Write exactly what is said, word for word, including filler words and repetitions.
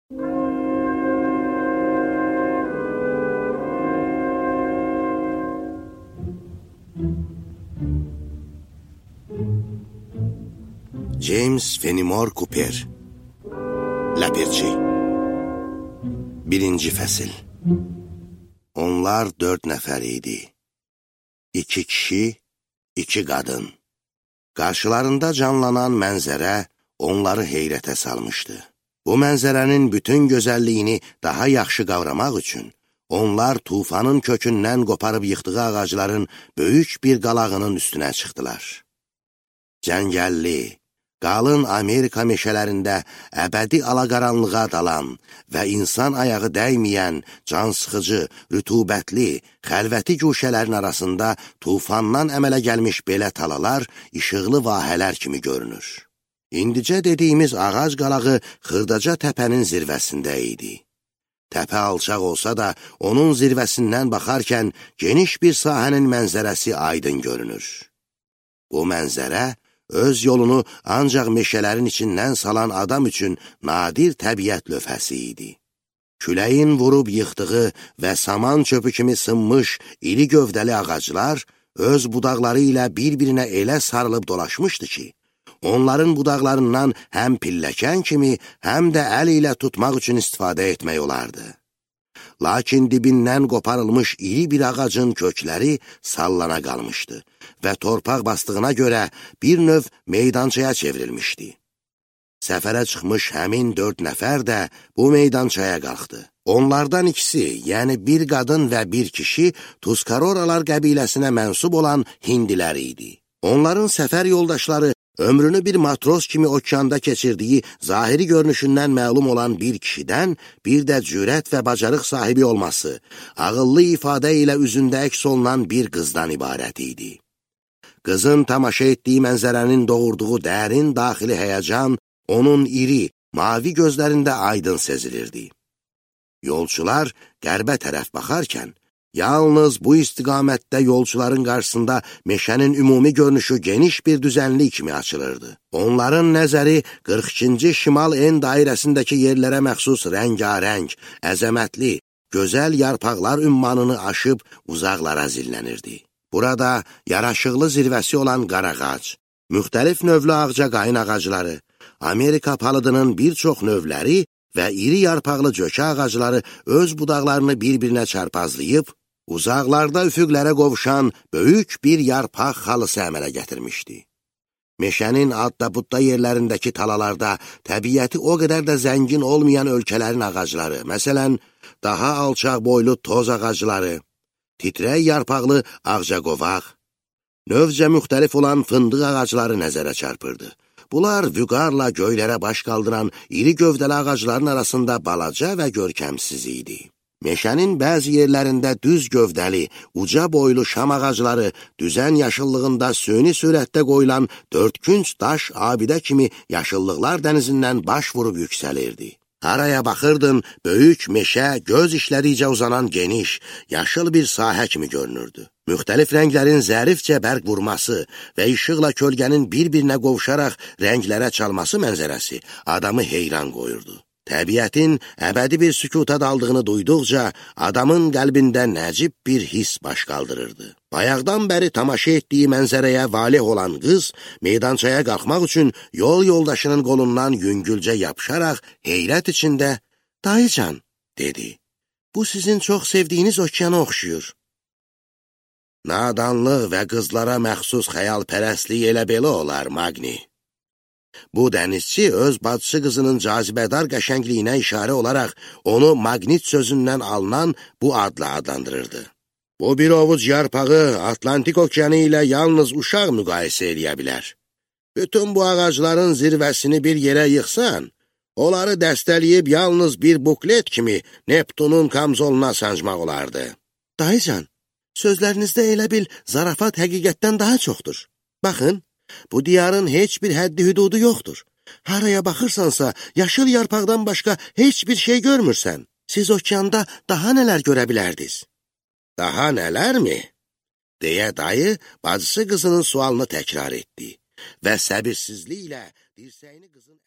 James Fenimore Cooper Ləpirçi Birinci fəsil Onlar dörd nəfər idi. İki kişi, iki qadın. Qarşılarında canlanan mənzərə onları heyrətə salmışdı. Bu mənzərənin bütün gözəlliyini daha yaxşı qavramaq üçün onlar tufanın kökündən qoparıb yıxdığı ağacların böyük bir qalağının üstünə çıxdılar. Cəngəlli, qalın Amerika meşələrində əbədi alaqaranlığa dalan və insan ayağı dəyməyən, cansıxıcı, rütubətli, xəlvəti guşələrin arasında tufandan əmələ gəlmiş belə talalar işıqlı vahələr kimi görünür. İndicə dediyimiz ağac qalağı Xırdaca təpənin zirvəsində idi. Təpə alçaq olsa da, onun zirvəsindən baxarkən geniş bir sahənin mənzərəsi aydın görünür. Bu mənzərə öz yolunu ancaq meşələrin içindən salan adam üçün nadir təbiət lövhəsi idi. Küləyin vurub yıxdığı və saman çöpü kimi sınmış iri gövdəli ağaclar öz budaqları ilə bir-birinə elə sarılıb dolaşmışdı ki, onların budaqlarından həm pilləkən kimi, həm də əl ilə tutmaq üçün istifadə etmək olardı. Lakin dibindən qoparılmış iri bir ağacın kökləri sallana qalmışdı və torpaq bastığına görə bir növ meydançaya çevrilmişdi. Səfərə çıxmış həmin dörd nəfər də bu meydançaya qalxdı. Onlardan ikisi, yəni bir qadın və bir kişi Tuskaroralar qəbiləsinə mənsub olan hindilər idi. Onların səfər yoldaşları ömrünü bir matros kimi okeanda keçirdiyi zahiri görünüşündən məlum olan bir kişidən, bir də cürət və bacarıq sahibi olması, ağıllı ifadə ilə üzündə əks olunan bir qızdan ibarət idi. Qızın tamaşa etdiyi mənzərənin doğurduğu dərin daxili həyəcan, onun iri, mavi gözlərində aydın sezilirdi. Yolçular qərbə tərəf baxarkən, yalnız bu istiqamətdə yolçuların qarşısında meşənin ümumi görünüşü geniş bir düzənlik kimi açılırdı. Onların nəzəri qırx ikinci şimal en dairəsindəki yerlərə məxsus rəngarəng, əzəmətli, gözəl yarpaqlar ümmanını aşıb uzaqlara zillənirdi. Burada yaraşıqlı zirvəsi olan qarağac, müxtəlif növlü ağcaqayın ağacları, Amerika palıdının bir çox növləri və iri yarpaqlı cökə ağacları öz budaqlarını bir-birinə çarpazlayıb, uzaqlarda üfüqlərə qovuşan böyük bir yarpaq xalısı əmələ gətirmişdi. Meşənin adda-budda yerlərindəki talalarda təbiəti o qədər də zəngin olmayan ölkələrin ağacları, məsələn, daha alçaq boylu toz ağacları, titrək yarpaqlı ağcaqovaq, növcə müxtəlif olan fındıq ağacları nəzərə çarpırdı. Bunlar vüqarla göylərə baş qaldıran iri gövdəli ağacların arasında balaca və görkəmsiz idi. Meşənin bəzi yerlərində düz gövdəli, uca boylu şam ağacları düzən yaşıllığında süni sürətdə qoyulan dördkünc daş abidə kimi yaşıllıqlar dənizindən baş vurub yüksəlirdi. Haraya baxırdın, böyük meşə göz işləricə uzanan geniş, yaşıl bir sahə kimi görünürdü. Müxtəlif rənglərin zərifcə bərq vurması və işıqla kölgənin bir-birinə qovuşaraq rənglərə çalması mənzərəsi adamı heyran qoyurdu. Təbiətin əbədi bir sükuta daldığını duyduqca adamın qəlbində nəcib bir his baş qaldırırdı. Bayaqdan bəri tamaşa etdiyi mənzərəyə valih olan qız meydançaya qalxmaq üçün yol yoldaşının qolundan yüngülcə yapışaraq heyrət içində "Dayıcan," dedi. "Bu sizin çox sevdiyiniz okeana oxşuyur." Nadanlıq və qızlara məxsus xəyalpərəstlik elə belə olar, Magni. Bu dənizçi öz bacısı qızının cazibədar qəşəngliyinə işarə olaraq onu Magnit sözündən alınan bu adla adlandırırdı. Bu bir ovuc yarpağı Atlantik okeanı ilə yalnız uşaq müqayisə eləyə bilər. Bütün bu ağacların zirvəsini bir yerə yıxsan, onları dəstələyib yalnız bir buklet kimi Neptunun kamzoluna sancmaq olardı. Dayıcan, sözlərinizdə elə bil zarafat həqiqətdən daha çoxdur. Baxın, bu diyarın heç bir həddi hüdudu yoxdur. Haraya baxırsansa, yaşıl yarpaqdan başqa heç bir şey görmürsən. Siz okeanda daha nələr görə bilərdiniz? Daha nələr mi? Deyə dayı bacısı qızının sualını təkrar etdi və səbirsizliklə dirsəyini qızın